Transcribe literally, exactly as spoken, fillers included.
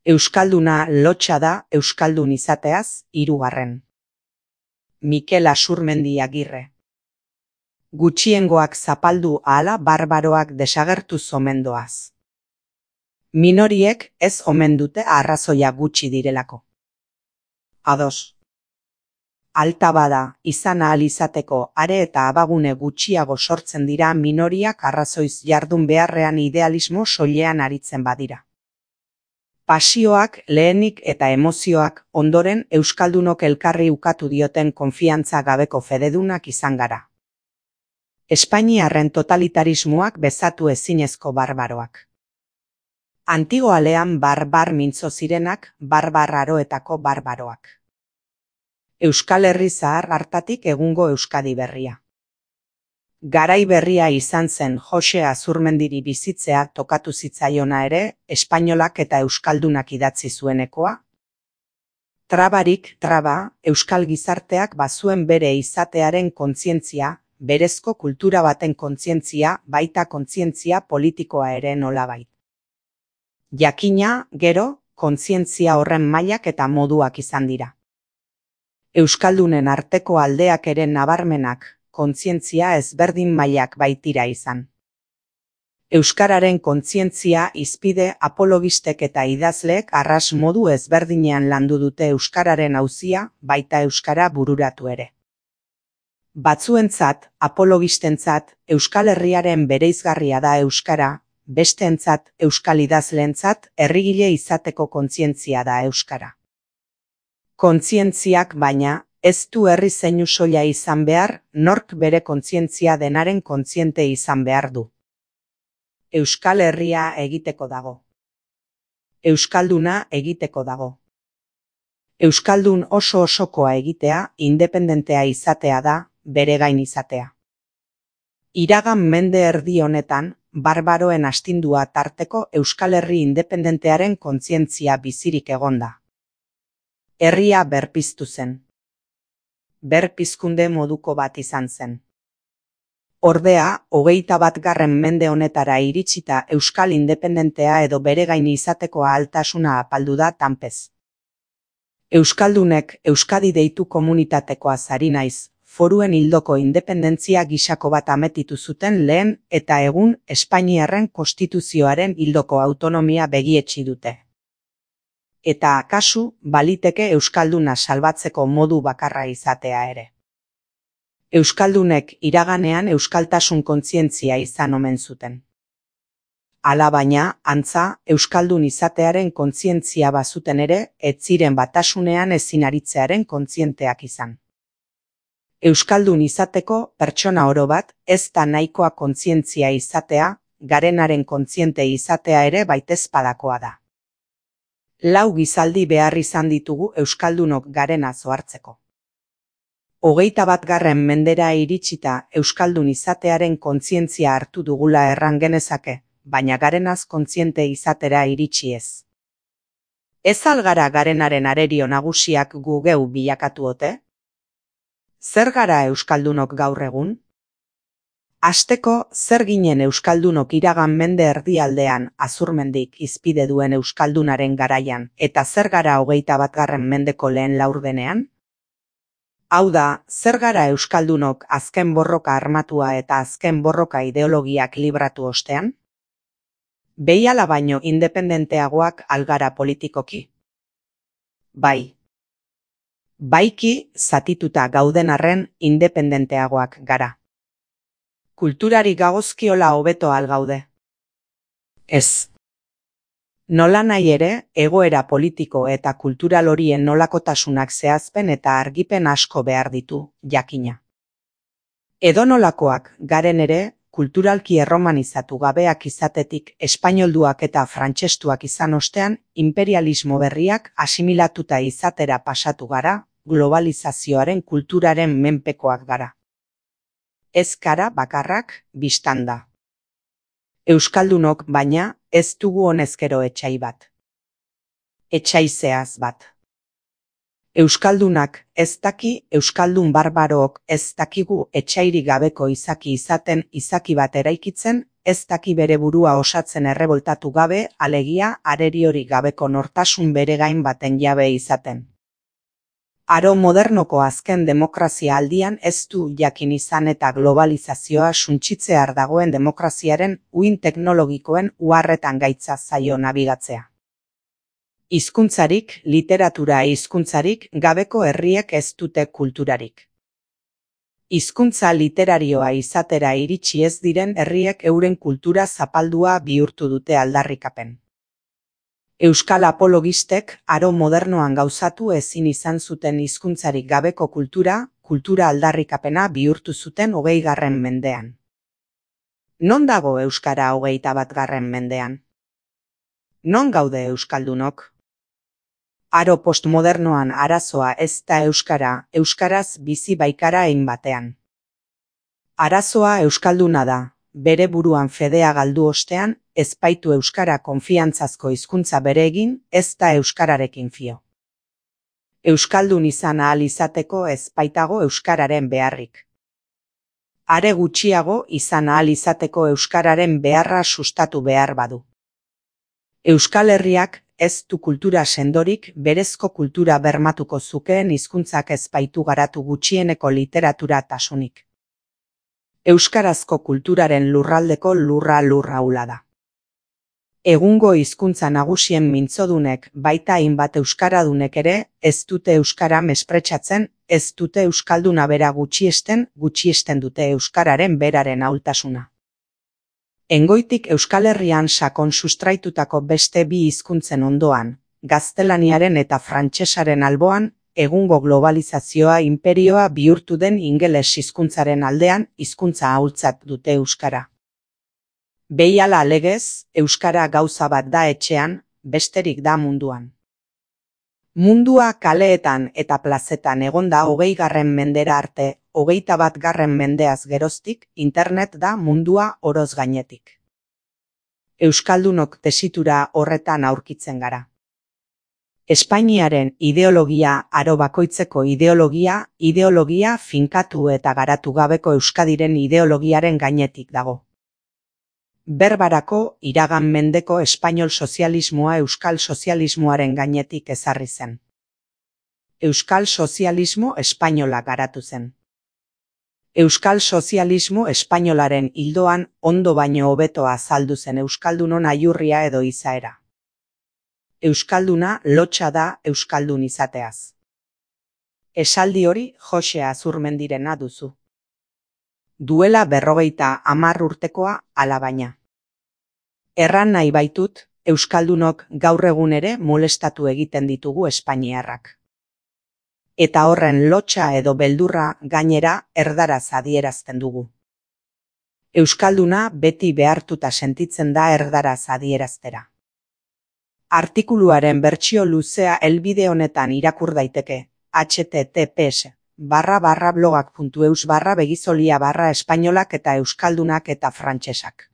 Euskalduna lotsa da euskaldun izateaz, hirugarren. Mikel Asurmendi Agirre. Gutxiengoak zapaldu ahala barbaroak desagertu zomendoaz. Minoriek ez omen dute arrazoia gutxi direlako. Ados. Alta bada, izan ahal izateko are eta abagune gutxiago sortzen dira minoriak arrazoiz jardun beharrean idealismo soilean aritzen badira. Pasioak, lehenik eta emozioak ondoren euskaldunok elkarri ukatu dioten konfiantza gabeko fededunak izan gara. Espainiarren totalitarismoak bezatu ezinezko barbaroak. Antigoalean barbar mintzo zirenak barbar aroetako barbaroak. Euskal Herri zahar hartatik egungo Euskadi berria. Garai berria izan zen Jose Azurmendiri bizitzea tokatu zitzaiona ere, espainolak eta euskaldunak idatzi zuenekoa. Trabarik traba, euskal gizarteak bazuen bere izatearen kontzientzia, berezko kultura baten kontzientzia, baita kontzientzia politikoa ere nolabait. Jakina, gero, kontzientzia horren mailak eta moduak izan dira. Euskaldunen arteko aldeak ere nabarmenak, kontzientzia ezberdin mailak baitira izan. Euskararen kontzientzia izpide apologistek eta idazleek arras modu ezberdinean landu dute euskararen auzia, baita euskara bururatu ere. Batzuentzat, apologistentzat, Euskal Herriaren bereizgarria da euskara, besteentzat, euskal idazleentzat, herrigile izateko kontzientzia da euskara. Kontzientziak baina, ez du herri zeinu soila izan behar, nork bere kontzientzia denaren kontziente izan behar du. Euskal Herria egiteko dago. Euskalduna egiteko dago. Euskaldun oso osokoa egitea, independentea izatea da, bere gain izatea. Iragan mende erdi honetan, barbaroen astindua tarteko Euskal Herri independentearen kontzientzia bizirik egonda. Herria berpiztu zen. Berpizkunde moduko bat izan zen. Ordea, hogeita bat garren mende honetara iritsita euskal independentea edo bere gain izateko ahaltasuna apaldu da tanpez. Euskaldunek Euskadi deitu komunitatekoa zari naiz, foruen hildoko independentzia gisako bat ametitu zuten lehen eta egun Espainiarren konstituzioaren hildoko autonomia begietsi dute. Eta akasu, baliteke euskalduna salbatzeko modu bakarra izatea ere. Euskaldunek iraganean euskaltasun kontzientzia izan omen zuten. Hala baina, antza, euskaldun izatearen kontzientzia bazuten ere, ez ziren batasunean ezin aritzearen kontzienteak izan. Euskaldun izateko pertsona oro bat, ez da nahikoa kontzientzia izatea, garenaren kontziente izatea ere baitezpadakoa da. Lau gizaldi behar izan ditugu euskaldunok garena zohartzeko. Hogeita bat garren mendera iritsita euskaldun izatearen kontzientzia hartu dugula erran genezake, baina garenaz kontziente izatera iritsi ez. Ez algara garenaren arerio nagusiak gu geu bilakatu ote? Zer gara euskaldunok gaur egun? Hasteko, zer ginen euskaldunok iragan mende erdialdean Azurmendik izpide duen euskaldunaren garaian, eta zer gara hogeita bat garren mendeko lehen laurdenean? Hau da, zer gara euskaldunok azken borroka armatua eta azken borroka ideologiak libratu ostean? Behiala baino independenteagoak algara politikoki? Bai. Baiki, zatituta gauden arren independenteagoak gara. Kulturari gagozkiola hobeto algaude. Ez. Nola nahi ere, egoera politiko eta kultural horien nolakotasunak zehazpen eta argipen asko behar ditu, jakina. Edonolakoak garen ere, kulturalki erromanizatu gabeak izatetik espainolduak eta frantsestuak izan ostean, imperialismo berriak asimilatuta izatera pasatu gara, globalizazioaren kulturaren menpekoak gara. Ez gara bakarrak biztan da. Euskaldunok baina ez dugu honezkero etxai bat. Etxaizeaz bat. Euskaldunak ez daki, euskaldun barbarook ez dakigu etsairik gabeko izaki izaten, izaki bat eraikitzen, ez daki bere burua osatzen erreboltatu gabe, alegia areriorik gabeko nortasun bere gain baten jabe izaten. Aro modernoko azken demokrazia aldian ez du jakin izan eta globalizazioa suntsitzear dagoen demokraziaren uhin teknologikoen uharretan gaitza zaio nabigatzea. Hizkuntzarik, literatura hizkuntzarik gabeko herriek ez dute kulturarik. Hizkuntza literarioa izatera iritsi ez diren herriek euren kultura zapaldua bihurtu dute aldarrikapen. Euskal apologistek aro modernoan gauzatu ezin izan zuten hizkuntzarik gabeko kultura, kultura aldarrikapena bihurtu zuten hogeigarren mendean. Non dago euskara hogeita batgarren mendean? Non gaude euskaldunok? Aro postmodernoan arazoa ez da euskara, euskaraz bizi baikara hein batean. Arazoa euskalduna da, bere buruan fedea galdu ostean, ez baitu euskara konfiantzazko hizkuntza bere egin, ez da euskararekin fio. Euskaldun izan ahal izateko ez baitago euskararen beharrik. Are gutxiago izan ahal izateko euskararen beharra sustatu behar badu. Euskal Herriak ez du kultura sendorik, berezko kultura bermatuko zukeen hizkuntzak ez baitu garatu gutxieneko literatura tasunik. Euskarazko kulturaren lurraldeko lurra lurra hula da. Egungo hizkuntza nagusien mintzodunek baita hainbat euskaradunek ere ez dute euskara mespretxatzen, ez dute euskalduna bera gutxiesten, gutxiesten dute euskararen beraren ahultasuna. Engoitik Euskal Herrian sakon sustraitutako beste bi hizkuntzen ondoan, gaztelaniaren eta frantsesaren alboan, egungo globalizazioa inperioa bihurtu den ingeles hizkuntzaren aldean hizkuntza ahultzat dute euskara. Behiala legez, euskara gauza bat da etxean, besterik da munduan. Mundua kaleetan eta plazetan egonda hogeigarren mendera arte, hogeita bat garren mendeaz geroztik, internet da mundua oroz gainetik. Euskaldunok tesitura horretan aurkitzen gara. Espainiaren ideologia, aro bakoitzeko ideologia, ideologia finkatu eta garatu gabeko Euskadiren ideologiaren gainetik dago. Berbarako iragan mendeko espainol sozialismoa euskal sozialismoaren gainetik ezarri zen. Euskal sozialismo espainola garatu zen. Euskal sozialismo espainolaren hildoan ondo baino hobeto azaldu zen euskaldunon aiurria edo izaera. Euskalduna lotsa da euskaldun izateaz. Esaldi hori Jose Azurmendirena duzu. Duela berrogeita hamar urtekoa alabaina. Erran nahi baitut, euskaldunok gaur egun ere molestatu egiten ditugu espainiarrak. Eta horren lotsa edo beldurra gainera erdaraz adierazten dugu. Euskalduna beti behartuta sentitzen da erdaraz adieraztera. Artikuluaren bertsio luzea helbide honetan irakur daiteke, https barra barra blogak puntu eus barra begizolia barra espainolak eta euskaldunak eta frantsesak.